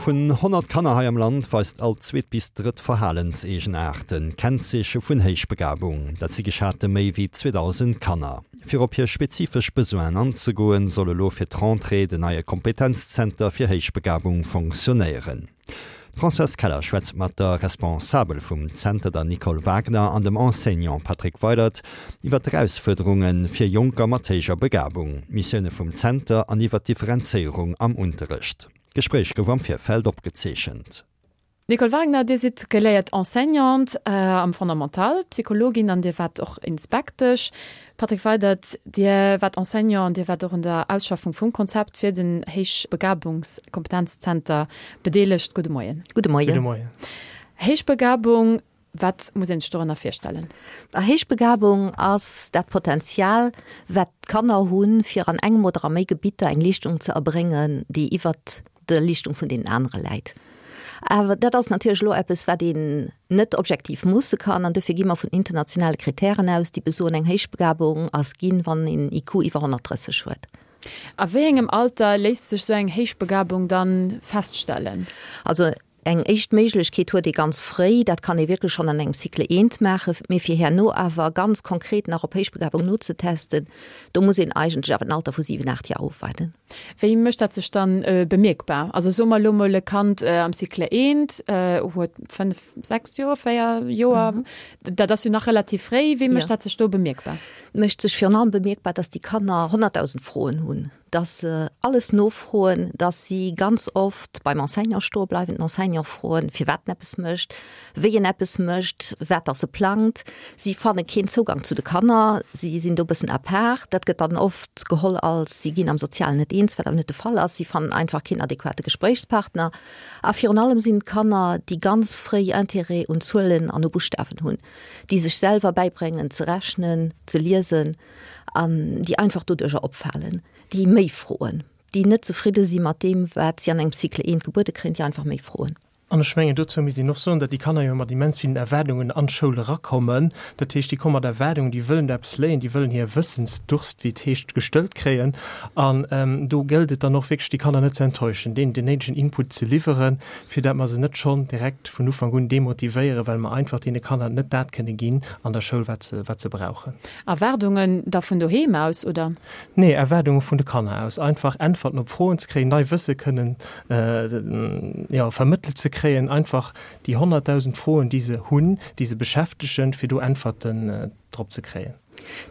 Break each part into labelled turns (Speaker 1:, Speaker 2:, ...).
Speaker 1: Vun 100 Kanner hei am Land weist all zweet bis drëtt Verhalenseegenaarten Kennzeeche vun Héichbegabung. Dat si geschate méi wéi 2.000 Kanner. Fir op hir spezifesch Besoinen anzegoen, soll elo fir d'Rentrée den neie Kompetenzzenter fir Héichbegabung fonctionnéieren. D'Françoise Keller schwätzt mat der Responsabel vum Zenter, der Nicole Wagner, an dem Enseignant Patrick Weydert iwwer d'Erausfuerderunge fir Jonker mat héijer Begabung, d'Missioune vum Zenter an iwwer d'Differenzéierung am Unterrecht. D'Gespréich gouf am Virfeld opgezeechent.
Speaker 2: Nicole Wagner, Dir sidd geléiert Enseignante am Fondamental, Psychologin an Dir waart och Inspektesch. Patrick Weydert, Dir waart Enseignant an Dir waart och un der Ausschaffung vum Konzept fir den Héichbegabungskompetenzzenter bedeelegt. Gudde Moien.
Speaker 3: Gudde Moien. Gudde Moien.
Speaker 2: Héichbegabung, wat muss een sech dorënner virstellen?
Speaker 3: Héichbegabung ass dat Potenzial, wat d'Kanner hunn, fir an engem oder a méi Gebitter eng Leeschtung ze erbréngen, déi iwwert der Leeschtung vun deenen anere läit. Awer dat ass natierlech elo eppes, wat een net objektiv moosse kann. An dofir gi mer vun internationale Kritären aus, déi besoen, eng Héichbegabung ass ginn, wann een IQ iwwer 130 huet.
Speaker 2: A wéi engem Alter léisst sech sou eng Héichbegabung dann feststellen?
Speaker 3: Also eng éischt Méiglechkeet huet ee ganz fréi, dat kann ee wierklech schonn an engem Cycle eent maachen, mee fir herno awer ganz konkret nach op Héichbegabung nozetesten, do muss een eigentlech awer den Alter vu 7, 8 Joer ofwaarden.
Speaker 2: Wéi mécht dat sech dann bemierkbar? Also soe mer elo mol e Kand am Cycle eent huet 5, 6 Joer, 4 Joer, dat ass jo nach relativ fréi. Wéi mécht dat sech do bemierkbar?
Speaker 3: Mécht sech virun allem bemierkbar, dass déi Kanner 100.000 Froen hunn, dass se alles nofroen, dass si ganz oft beim Enseignant stoe bleiwen, den Enseignant froen, firwat en eppes mécht, wéi en eppes mécht, wat dass e plangt. Si fanne keen Zougang zu de Kanner, si sinn do e bëssen à part. Dat gëtt dann oft geholl als si ginn am Sozialen net eens, wat awer net de Fall ass. Si fannen einfach keen adequate Gespréichspartner. A virun allem sinn et Kanner, déi ganz fréi Intérêt un Zuelen an u Buschtawen hunn, déi sech selwer bäibréngen ze rechnen, ze liesen an déi einfach doduercher opfalen, déi méi froen, déi net zefridde si mat deem, wat si an engem Cycle eent gebuede kréien, déi einfach méi froen.
Speaker 4: An ech mengen, dozou misst een och soen, datt déi Kanner jo mat immens villen Erwaardungen an d'Schoul erakommen. Dat heescht, déi komme mat Erwaardungen, déi wëllen do eppes léien, déi wëllen hir Wëssensdurst, wéi et heescht, gestëllt kréien. An do gëllt et dann och wierklech, déi Kanner net ze enttäuschen, deenen den néidegen Input ze liwweren, fir dat mer se net schonn direkt vun Ufank un demotivéieren, well mer einfach deene Kanner net dat kënne ginn an der Schoul, wat se, wat se brauchen.
Speaker 2: Erwaardungen da vun doheem aus, oder?
Speaker 4: Nee, Erwaardunge vun de Kanner aus. Einfach Äntwerten op Froen ze kréien, nei Wësse kënnen, jo, vermëttelt ze kréien, einfach déi 100.000 Froen, déi se hunn, déi se beschäftegen, fir do Äntwerten drop ze kréien.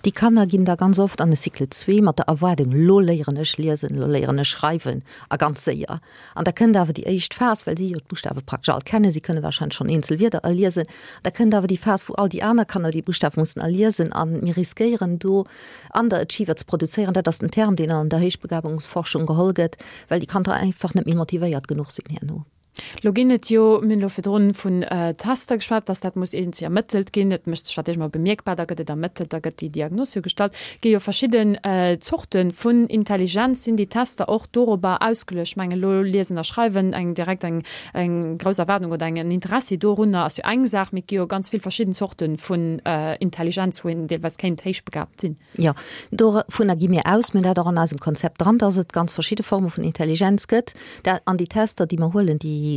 Speaker 3: Déi Kanner ginn da ganz oft an e Cycle zwee mat der Erwaardung, lo léieren ech liesen, lo léieren ech schreiwen a ganz séier. An da kënnt awer déi éischt Phas, well si jo d'Buschtawe praktesch all kennen, si kënne warscheinlech schonn eenzel Wierder erliesen, da kënnt awer déi Phas, wou all déi aner Kanner déi Buschtawe mussen erliesen a mir riskéieren do Underachiever ze produzéieren. Dat ass den Term, deen an der Héichbegabungsforschung geholl gëtt, well déi Kanner einfach net méi motivéiert genuch sinn herno.
Speaker 2: Lo ginn et jo, mir hunn elo virdrun vun Tester geschwat, dass dat muss iergendwéi ermëttelt ginn. Et mécht sech natierlech emol bemierkbar, da gëtt et ermëttelt, da gëtt déi Diagnos jo gestallt. Et gi jo verschidden Zorte vun Intelligenz. Sinn déi Tester och dorobber ausgeluecht? Ech mengen elo Liesen a Schreiwen, eng direkt eng eng grouss Erwaardung oder eng en Interessi dorunner ass jo eng Saach, mee et gi jo ganz vill verschidden Zorte vun Intelligenz, wou een deelweis kéint héichbegabt sinn.
Speaker 3: Jo, dovunner gi mir aus. Mir hunn dat och an eisem Konzept dran, dass et ganz verschidde Forme vun Intelligenz gëtt. Dat, an déi Tester, déi mer huelen, déi,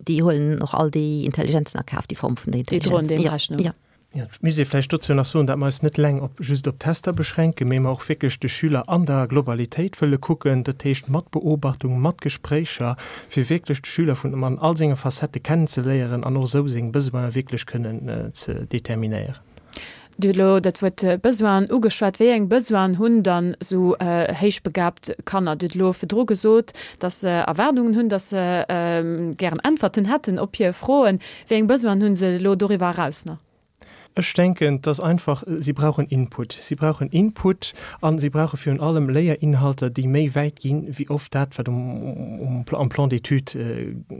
Speaker 3: déi huelen och all déi Intelligenzen a Kaf, déi Form vun der
Speaker 2: Déi droen
Speaker 3: Intelligenz.
Speaker 2: deem
Speaker 3: Jo,
Speaker 2: Rechnung.
Speaker 3: jo.
Speaker 4: Jo, et misst ee vläicht dozou nach soen, datt mer eis net eleng op just op Tester beschränken, mee mer och wierklech de Schüler an der Globalitéit wëlle kucken, dat heescht mat Beobachtung, mat Gespréicher, fir wierklech de Schüler vun an all senge Facettë kennenzeléieren an och esou seng Besoine wierklech kënnen ze determinéieren.
Speaker 2: Dir hutt elo dat Wuert Besoinen ugeschwat. Wéi eng Besoinen hunn dann esou héichbegabt Kanner? Dir hutt elo virdru gesot, datt se Erwaardungen hunn, datt se gären Äntwerten hätten op hir Froen. Wéi eng Besoinen hu se elo doriwwer eraus nach?
Speaker 4: Ech denken, dass einfach, si brauchen Input. Si brauchen Input a si brauche virun allem Léierinhalter, déi méi wäit ginn, wéi oft dat, wat um, am Plan d'études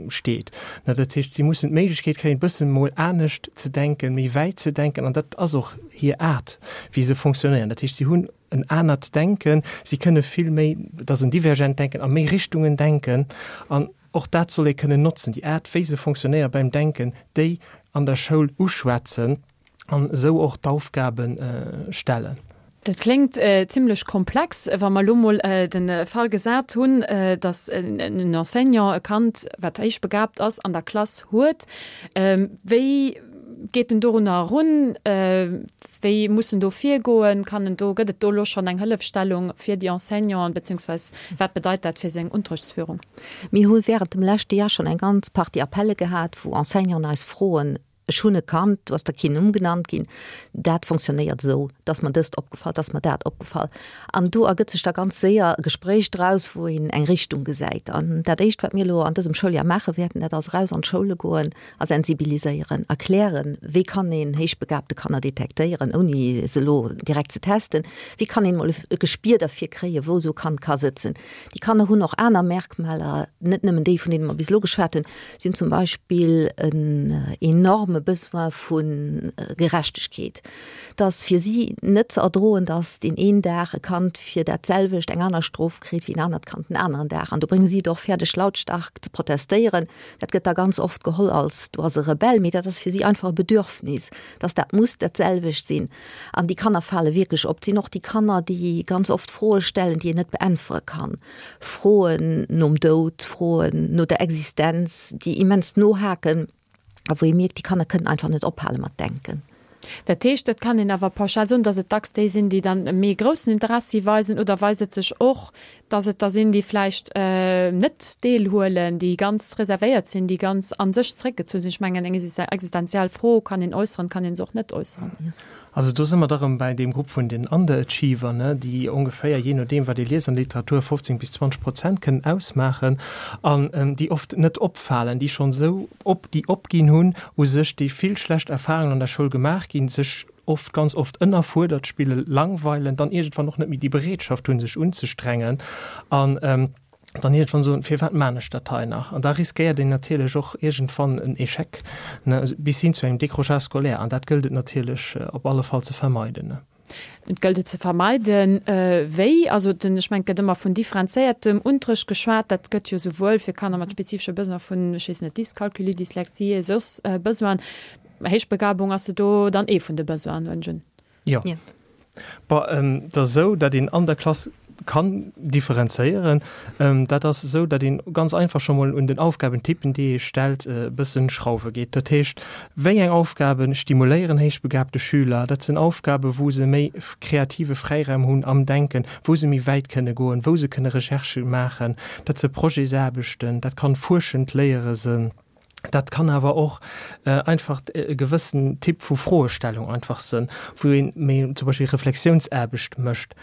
Speaker 4: steet. Dat heescht, si mussen d'Méiglechkeet kréien, e bëssen emol anescht ze denken, méi wäit ze denken. An dat ass och hir Aart, wéi se fonctionnéieren. Dat heescht, si hunn en anert Denken, si kënne vill méi, et ass en divergent Denken, a méi Richtungen denken. An Och dat soll ee kënnen notzen, déi Aart wéi se fonctionnéiere beim Denken, déi an der Schoul uschwätzen an esou och d'Aufgabe stellen.
Speaker 2: Dat kléngt zimlech komplex. Wa mer elo mol de Fall gesat hunn, datt en Enseignant e Kand, wat héichbegabt ass, an der Klass huet, wéi geet en dorunner erun? Wéi muss en do virgoen? Kann en do, gëtt et do elo schonn eng Hëllefstellung fir déi Enseignanten, beziehungsweis wat bedeit dat fir seng Unterrichtsführung?
Speaker 3: Mir hu während dem leschte Jar schonn eng ganz Partie Appelle gehat, wou Enseignanten eis froen, Ech hunn e Kand, do ass da keen Numm genannt ginn, dat fonctionnéiert esou, et ass mer dëst opgefall, et ass mer dat opgefall. An do ergëtt sech da ganz séier e Gespréich draus, wou een eng Richtung gesäit. An dat Éischt, wat mir elo an dësem Schouljar maache wäerten, dat ass eraus an d'Schoule goen a sensibiliséieren, erklären, wéi kann een héichbegabte Kanner detektéieren, ouni se elo direkt ze testen, wéi kann een emol e Gespier derfir kréien, wou esou e Kand ka sëtzen. Déi Kanner hunn och aner Merkmaler, net nëmmen déi, vun deene mer bis elo geschwat hunn. Si hunn zum Beispill en enorme Besoin vu Gerechtegkeet. Et ass fir si net ze erdroen, datt deen een Dag e Kand fir dat selwecht eng aner Strof kritt wéi en anert Kand den aneren Dag. An do brénge si et och fäerdeg, lautstark ze protestéieren. Dat gëtt da ganz oft geholl als, do ass e Rebell, mee dat ass fir si einfach e Bedürfnis, datt dat muss dat selwecht sinn. An déi Kanner fale wierklech op. Et sinn och déi Kanner, déi ganz oft Froe stellen, déi een net beäntwere kann. Froen nom Doud, Froen no der Existenz, déi immens nohaken a wou ee mierkt, déi Kanner kënnen einfach net ophale mat denken.
Speaker 2: Dat heescht, et kann een awer pauschal soen, datt et dacks déi sinn, déi dann e méi groussen Interessi weisen, oder weist et sech och, datt et der sinn, déi vläicht net deelhuelen, déi ganz reservéiert sinn, déi ganz a sech zeréckgezunn sinn? Ech mengen, eng existenziell Fro kann een äusseren, kann ee se och net äusseren.
Speaker 4: Also do si mer da rëm bäi deem Grupp vun den Underachiever, ne, déi ongeféier, jee nodeem wat ee liest an der Literatur, 15 bis 20 Prozent kënnen ausmaachen an déi oft net opfalen, déi schonn esou op, déi opginn hunn u sech, déi vill schlecht Erfahrungen an der Schoul gemaach ginn, sech oft, ganz oft ënnerfuerdert spillen, langweilen, dann iergendwann och net méi déi Bereetschaft hunn, sech unzestrengen an. Dann iergendwann soen, firwat maan ech dat hei nach? An da riskéiert een natierlech och iergendwann en Échec, ne, bis hin zu engem Décrochage scolaire. An dat gëllt et natierlech op alle Fall ze vermeiden, ne.
Speaker 2: Et gëllt et ze vermeiden. Wéi? Also den, ech mengen, et gëtt ëmmer vun differenzéiertem Unterrecht geschwat. Dat gëtt jo souwuel fir Kanner mat spezifesche Besoine vun, ech weess net, Dyscalculie, Dyslexie, soss Besoinen. Héichbegabung ass jo do dann ee vun de Besoinen, huelen ech un.
Speaker 4: Jo. Bon, et ass esou, datt een an der Klass kann differenzéieren. Dat ass esou, datt een ganz einfach scho mol un den Aufgabentypen, déi ee stellt, e bëssen schrauwe geet. Dat heescht, wéi eng Aufgabe stimuléieren héichbegabte Schüler? Dat sinn Aufgabe wou se méi kreative Fräiraum hunn am Denken, wou se méi wäit kënne goen, wou se kënne Recherchë maachen. Dat si Projetsaarbechten, dat kann fuerschend Léiere sinn. Dat kann awer och einfach e gewëssen Typ vu Froestellung einfach sënn, wou een méi zum Beispill Reflexiounsaarbecht mécht.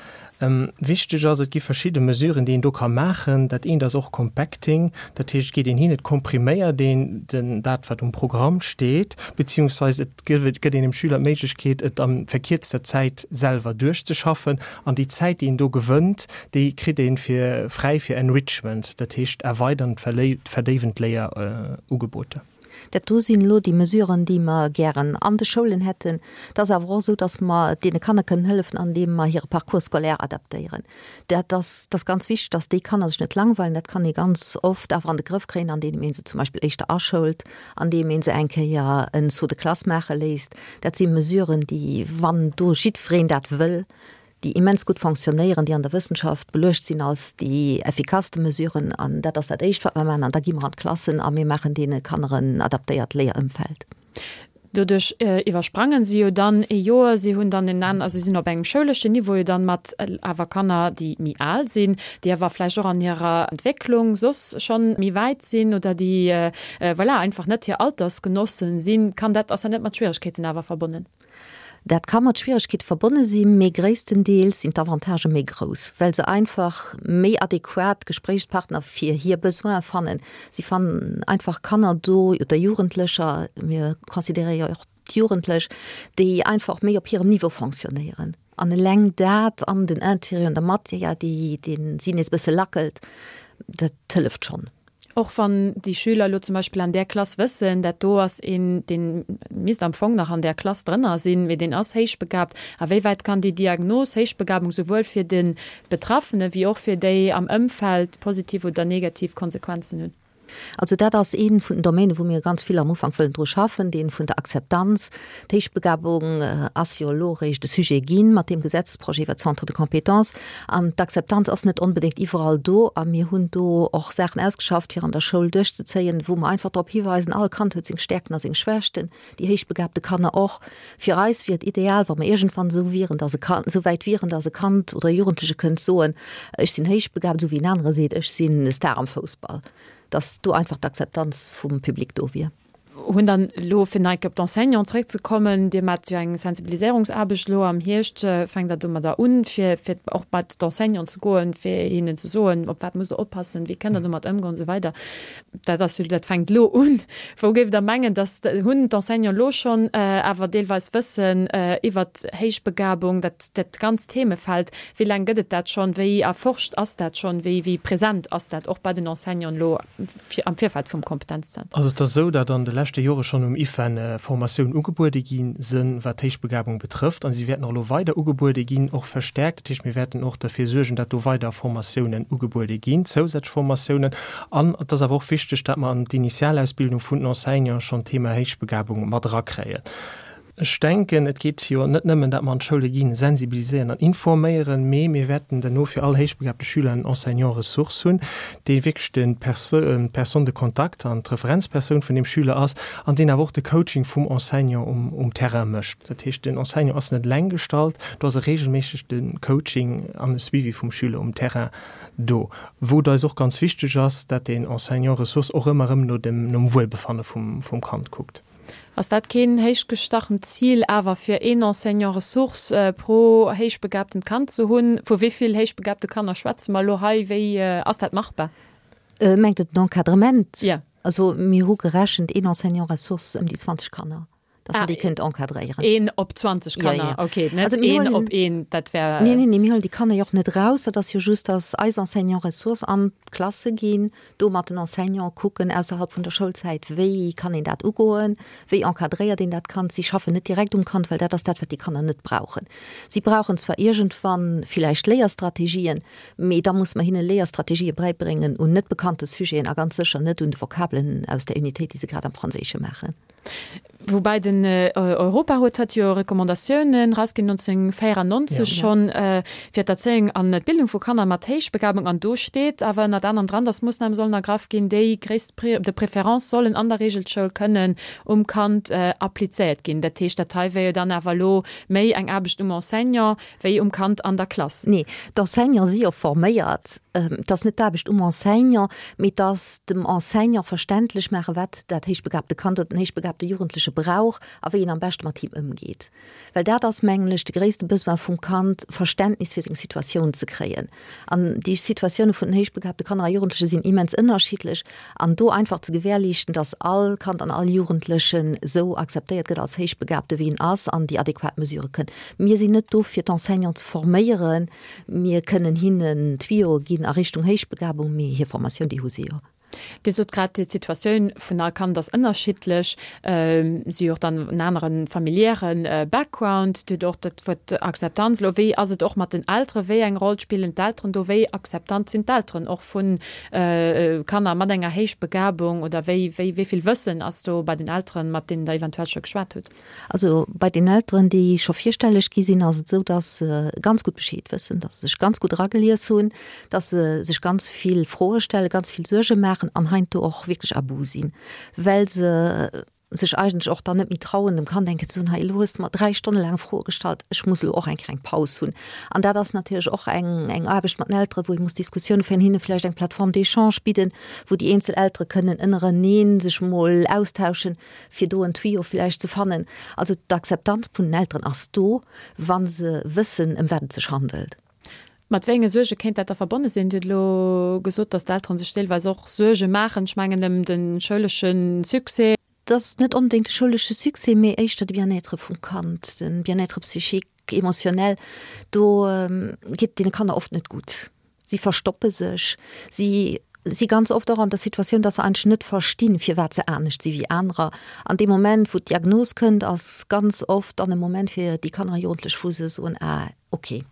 Speaker 4: Wichteg ass, et gi verschidde Mesuren, déi een do ka maachen. Dat eent ass och Compacting, dat heescht, et geet een hin, et kompriméiert een den dat, wat um Programm steet, beziehungsweise et gëtt een dem Schüler d'Méiglechkeet, et a verkierzter Zäit selwer duerchzeschaffen. An déi Zäit, déi een do gewënnt, déi kritt ee fir fräi fir Enrichment, dat heescht erweidernd, verdéiwend Léierugeboter.
Speaker 3: Dat do sinn elo déi Mesuren, déi mer gären an de Schoulen hätten. Et ass awer och esou, datt mer deene Kanner kënnen hëllefen, andeem mer hire Parcours scolaire adaptéieren. Dat ass, dat ass ganz wichteg, datt déi Kanner sech net langweilen. Dat kann ee ganz oft awer an de Grëff kréien, andeem ee se zum Beispill éischter aschoult, andeem ee se eng Kéier en Saut de classe maache léisst. Dat si Mesuren, déi, wann do jiddwereen dat wëll, déi immens gutt fonctionnéieren, déi an der Wëssenschaft beluecht sinn als déi effikasste Mesuren. An dat ass dat Éischt, wat mer maachen. An da gi mer an d'Klassen a mir maachen deene Kanner en adaptéiert Léierëmfeld.
Speaker 2: Doduerch iwwersprangen si jo dann ee Joer. Si hunn dann en an, also si sinn op engem schouleschen Niveau jo dann mat awer Kanner, déi méi al sinn, déi awer vläicht och an hirer Entwécklung soss schonn méi wäit sinn oder déi, voilà, einfach net hir Altersgenossen sinn. Kann dat, ass dat net mat Schwieregkeeten awer verbonnen?
Speaker 3: Dat ka mat Schwieregkeete verbonne sinn, mee gréisstendeels sinn d'Avantagë méi grouss, well se einfach méi adequat Gespréichspartner fir hir Besoine fannen. Si fannen einfach Kanner do oder Jugendlecher, mir consideréiere jo och d'Jugendlech, déi einfach méi op hirem Niveau fonctionnéieren. An eleng dat an den Intérêt un der Matière, déi dee si nees e bësse lackelt, dat hëlleft schonn.
Speaker 2: Och wann déi Schüler elo zum Beispill an där Klass wëssen, dat do ass een, dee misst am Fong nach an där Klass drënner sinn, mee deen ass héichbegabt. A wéi wäit kann déi Diagnos Héichbegabung souwuel fir de Betraffene wéi och fir déi am Ëmfeld positiv oder negativ Konsequenzen hunn?
Speaker 3: Also dat ass ee vun den Domänen, wou mir ganz vill am Ufank wëllen dru schaffen, dee vun der Akzeptanz. D'Héichbegabung ass jo elo eréischt e Sujet gi mat deem Gesetzesprojet iwwer d'Centres de compétences. An d'Akzeptanz ass net onbedéngt iwwerall do. A mir hunn do och Saachen ausgeschafft, fir an der Schoul duerchzezéien, wou mer einfach drop hiweisen, all Kand huet seng Stärkten a seng Schwächten, déi héichbegabte Kanner och. Fir eis wier et ideal, wa mer iergendwann esou wieren, dass e Kand, esou wäit wieren, dass e Kand oder e Jugendleche kënnt soen, ech sinn héichbegabt, esou wéi en anere seet, ech sinn e Star am Foussball, dass do einfach d'Akzeptanz vum Public do wier.
Speaker 2: Hunn dann elo, fir nach eng Kéier op d'Enseignanten zeréckzekommen, Dir maacht jo eng Sensibiliséierungsaarbecht elo am Hierscht, fänkt Der domadder un, fir, fir och bei d'Enseignanten ze goen, fir hinnen ze soen, op wat musst Der oppassen, wéi kënnt Der domat ëmgoen an esou weider. Dat ass jo, dat fänkt elo un. Wou géift Der mengen, dass, hunn d'Enseignanten elo schonn awer deelweis Wëssen iwwert Héichbegabung, dat, dat ganzt Themefeld? Wéi laang gëtt et dat schonn? Wéi erforscht ass dat schonn? Wéi, wéi present ass dat och bei den Enseignanten elo am Virfeld vum Kompetenzzentrum?
Speaker 4: Also et ass esou, datt an de leschte Jore schonn um IFEN Formatiounen ugebuede gi sinn, wat d'Héichbegabung betrëfft. A si wäerten och elo weider ugebuede ginn, och verstärkt. Dat heescht, mir wäerten och derfir suergen, datt do weider Formatiounen ugebuede ginn, zousätzlech Formatiounen. An et ass awer och wichteg, datt mer an d'Initialausbildung vun den Enseignanten schonn d'Thema Héichbegabung mat erakréien. Ech denken, et geet jo net nëmmen, datt mer an d'Schoule ginn, sensibiliséieren an informéieren, mee mir wäerten duerno fir all héichbegabte Schüler en Enseignant ressource hunn, dee wierklech de d'Personne de contact an d'Referenzpersoun vun deem Schüler ass an deen awer och de Coaching vum Enseignant um Terrain mécht. Dat heescht, den Enseignant ass net eleng gestallt, do ass e reegelméisseg de Coaching an e Suivi vum Schüler um Terrain do. Wou et eis och ganz wichteg ass, dat deen Enseignant ressource och ëmmer erëm no dem, nom Wuelbefanne vum, vum Kand kuckt.
Speaker 2: Ass dat keen héichgestachent Zil awer, fir een Enseignant ressource pro héichbegabtent Kand ze hunn? Vu wéi vill héichbegabte Kanner schwätze mer elo hei? Wéi ass dat machbar?
Speaker 3: Mengt Der den Encadrement?
Speaker 2: Jo.
Speaker 3: Also mir hu gerechent, een Enseignant ressource ëm déi 20 Kanner. Dass man déi kënnt encadréieren.
Speaker 2: Een op 20 Kanner, ja, ja. Okay, net also, een op een, dat wär.
Speaker 3: Nee, nee, nee, mir huelen déi Kanner jo och net raus. Dat ass jo just, dass eis Enseignants ressources an d'Klasse ginn, do mat den Enseignants kucken ausserhalb vun der Schoulzäit, wéi kann een dat ugoen, wéi encadréiert een dat Kand. Si schaffen net direkt um Kand, well dat ass dat, wat déi Kanner net brauchen. Si brauchen zwar iergendwann villäicht Léierstrategien, mee da muss mer hinne Léierstrategië bäibréngen un net bekannte Sujeten a ganz sécher net un de Vokabelen aus der Unitéit, déi se grad am Franséische maachen.
Speaker 2: Woubäi den Europarot hat jo Recommandatiounen erausginn 1994 schonn fir d'Erzéiung an d'Bildung vu Kanner mat Héichbegabung. An do steet awer ënnert anerem dran, datt Moossname sollen ergraff ginn, déi gréisst de préférence sollen an der Reegelschoul kënnen um Kand applizéiert ginn. Dat heescht, dat hei wär jo dann awer elo méi eng Aarbecht um Enseignant wéi um Kand an der Klass.
Speaker 3: Nee, d'Enseignante si jo forméiert. Et ass net d'Aarbecht um Enseignant, mee et ass dem Enseignant verständlech maachen, wat dat héichbegabte Kand oder den héichbegabte Jugendleche brauch a wéi een am beschte mat him ëmgeet. Well dat ass, mengen ech, de gréisste Besoin vum Kand, Verständnis fir seng Situatioun ze kréien. An déi Situatioune vun den héichbegabte Kanner a Jugendleche sinn immens ënnerschiddlech. An do einfach ze gewährleeschten, dass all Kand an all Jugendlechen esou akzeptéiert gëtt als Héichbegabte wéi en ass an déi adequat Mesurë kënn. Mir sinn net do fir d'Enseignanten ze forméieren. Mir kënnen hinnen Tuyauxe ginn a Richtung Héichbegabung, mee hir Formatioun, déi hu si jo.
Speaker 2: Dir sot grad, d'Situatioun vun all Kand ass ënnerschiddlech. Si hu och dann en anere familiäre Background. Dir hutt och dat Wuert Akzeptanz elo. Wéi ass et och mat den Elteren? Wéi eng Roll spillen d'Elteren do? Wéi akzeptant sinn d'Elteren och vu Kanner mat enger Héichbegabung? Oder wéi, wéi, wéi vill Wëssen ass do bei den Elteren, mat deenen Der eventuell scho geschwat hutt?
Speaker 3: Also bei den Elteren, déi scho virstelleg gi sinn, ass et esou, dass se ganz gutt Bescheed wëssen, dass se sech ganz gutt eragelies hunn, dass se sech ganz vill Froe stellen, ganz vill Suerge maachen an heiansdo och wierklech à bout sinn, well se sech eigentlech och dann net méi trauen, dem Kand eng Kéier ze soen, hei elo hues de mer 3 Stonne laang Froe gestallt, ech muss elo och eng kleng Paus hunn. An dat ass natierlech och eng, eng Aarbecht mat den Elteren, wou ee muss Diskussioune féieren, hinne vläicht eng Plateforme d'échange bidden, wou déi eenzel Eltere kënnen ënnerenee sech mol austauschen, fir do en Tuyau vläicht ze fannen. Also d'Akzeptanz vun den Elteren ass do, wa se wëssen, ëm wat et sech handelt.
Speaker 2: Mat wéi enge Suerge kéint dat da verbonne sinn? Dir hutt elo gesot, datt d'Elteren sech deelweis och Suerge maachen, ech mengen ëm de schoulesche Succès.
Speaker 3: Et ass net onbedéngt de schoulesche Succès, mee éischter de Bien-être vum Kand, de Bien-être psychique, émotionnel. Do geet et deene Kanner oft net gutt. Si verstoppe sech, si si ganz oft och an der Situatioun, dass se eigentlech net verstinn, firwat se anescht si wéi anerer. An deem Moment, wou d'Diagnos kënnt, ass ganz oft dann e Moment fir déi Kanner a Jugendlech, wou se soen, Ah, okay,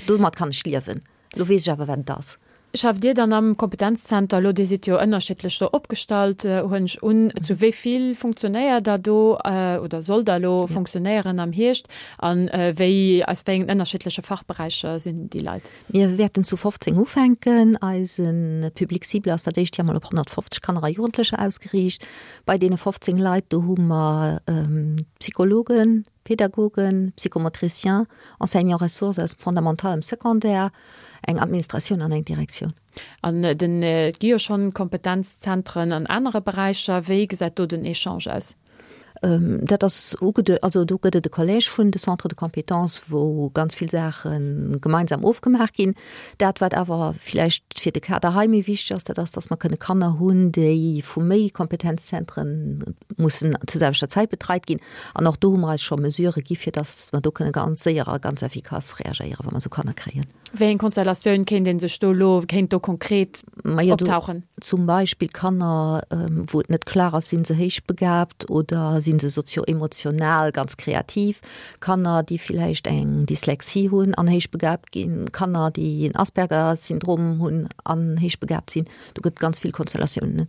Speaker 3: domat kann ech liewen, elo weess ech awer, wat et ass.
Speaker 2: Schafft Dir dann am Kompetenzzenter elo, Dir sidd jo ënnerschiddlech do opgestallt, huelen ech un, zu wéi vill funktionéiert Der do oder sollt Der elo funktionéieren am Hierscht a wéi, aus wéi engen ënnerschiddleche Fachberäicher sinn déi Leit?
Speaker 3: Mir wäerten zu 15 ufänken. Eise Public cible ass dat éischt Joer mol op 150 Kanner a Jugendlecher ausgeriicht. Bei deene 15 Leit, do hu mer Psychologen, Pädagogen, Psychomotriciens, Enseignants ressources aus dem Fondamental am Secondaire, eng Administratioun an eng Direktioun.
Speaker 2: An den, et gi jo schonn Kompetenzzentren an anere Beräicher. Wéi gesäit do den Echange aus?
Speaker 3: Dat ass ugeduecht, also do gëtt et e Collège vun de Centres de compétences, wou ganz vill Saache gemeinsam ofgemaach ginn. Dat, wat awer villäicht fir de Kader hei méi wichteg ass, dat ass, dass mer kënne Kanner hunn, déi vu méi Kompetenzzentren mussen zur selwechter Zäit betreit ginn. An och do hu mer eis scho Mesurë gi fir dass mer do kënne ganz séier a ganz effikass reagéieren, wa mer esou Kanner kréien.
Speaker 2: Wéi eng Konstellatioun kéint ee sech do elo, kéint do konkret optauchen?
Speaker 3: Zum Beispill Kanner, wou et net klar ass, sinn se héichbegabt oder sinn se sozio-emotional ganz kreativ, Kanner, déi villäicht eng Dyslexie hunn an héichbegabt ginn, Kanner, déi en Asperger-Syndrom hunn an héichbegabt sinn. Do gëtt et ganz vill Konstellatiounen.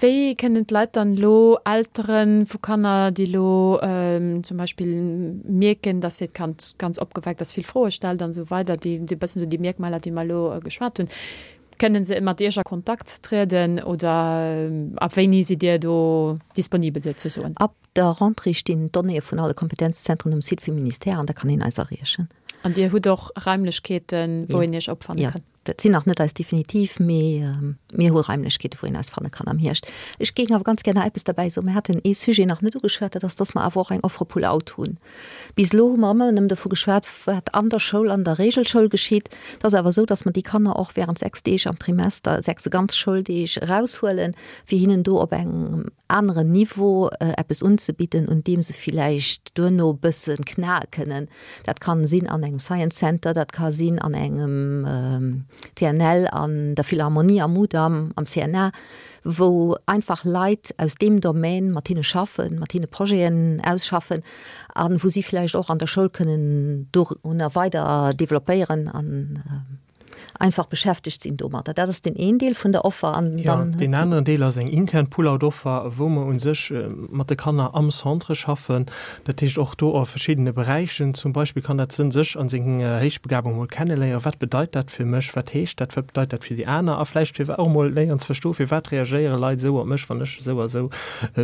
Speaker 2: Wéi kënnen d'Leit dann elo, Eltere vu Kanner, déi elo zum Beispill mierken, datt hiert Kand ganz opgeweckt ass, vill Froe stellt an esou weider, déi e bëssen esou déi Mierkmaler, déi mer elo geschwat hunn, kënnen se mat Iech a Kontakt trieden oder ab wéini sidd Dir do disponibel souzesoen?
Speaker 3: Ab der Rentrée stinn d'Donnéeë vun alle Kompetenzzentren um Site vum Ministère an da kann een eis erreechen.
Speaker 2: An Dir hutt och Raimlechkeeten, wou een Iech opfanne kann?
Speaker 3: Dat sinn nach net eis definitiv, mee mir hu Raimlechkeete wou een eis fanne kann am Hierscht. Ech géing awer ganz gär nach eppes derbäi soen. Mir haten ee Sujet nach net ugeschwat, dat ass, dass mer awer och eng Offre Pull-out hunn. Bis elo hu mer ëmmer nëmmen dovu geschwat, wat an der Schoul, an der Regelschoul geschitt. Et ass awer esou, dass mer déi Kanner och während 6 Deeg am Trimester, 6 ganz Schouldeeg eraushuelen, fir hinnen do op engem aneren Niveau eppes unzebidden, un deem se villäicht duerno e bësse knae kënnen. Dat kann sinn an engem Science Center, dat ka sinn an engem TNL, an der Philharmonie, am Mudam, am CNA, wou einfach Leit aus deem Domaine mat hinne schaffen, mat hinne Projeten ausschaffen a wou si villäicht och an der Schoul kënnen dorunner weider developpéieren an. einfach beschäftegt sinn domadder. Dat ass deen een Deel vun der Offer. An
Speaker 4: Ja, dann deen aneren Deel ass eng intern Pull-out-Offer, wou mer u sech mat de Kanner am Centre schaffen. Dat heescht och do a verschiddene Beräichen. Zum Beispill kann dat sënn, sech an seng Héichbegabung emol kenneléieren. Wat bedeit dat fir mech? Wat heescht dat? Wat bedeit dat fir déi aner? A vläicht fir och emol léieren ze verstoen, firwat reagéiere Leit esou op mech, wann ech esou a esou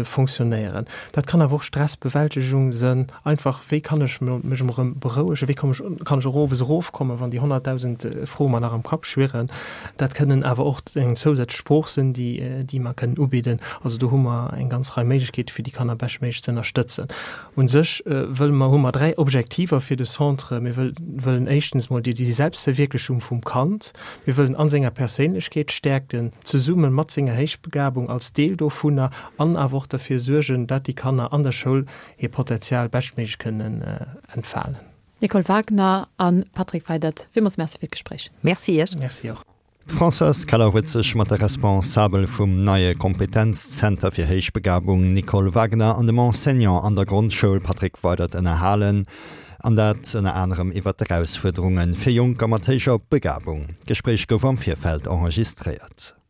Speaker 4: fonctionnéieren. Dat kann awer och Stressbewältegung sënn. Einfach, wéi kann ech mech emol erëm berouegen, wéi komm ech, kann ech och owes erofkommen, wann déi 100.000 Froe mer nach am Kapp schwirren. Dat kënnen awer och eng zousätzlech Sprooch sinn, déi, déi mer kënnen ubidden. Also do hu mer eng ganz Rei Méiglechkeete fir déi Kanner beschtméiglech ze ënnerstëtzen. U sech wëlle mer, hu mer 3 Objektiver fir de Centre. Mir wëll, wëllen éischtens mol déi, déi Selbstverwierklechung vum Kand. Mir wëllen an senger Perséinlechkeet stäerken, zesumme mat senger Héichbegabung als Deel dovunner an awer och derfir suergen, dat déi Kanner an der Schoul hir Potenzial beschtméiglech kënnen entfalen.
Speaker 2: Nicole Wagner a Patrick Weydert, villmools Merci fir d'Gespréich.
Speaker 3: Merci Iech.
Speaker 4: Merci och.
Speaker 1: D'Françoise Keller huet sech mat der Responsabel vum neie Kompetenzzenter fir Héichbegabung Nicole Wagner an dem Enseignant an der Grondschoul Patrick Weydert ënnerhalen, an dat ënner anerem iwwer d'Erausfuerderunge fir Jonker mat héijer Begabung. D'Gespréich gouf am Virfeld enregistréiert.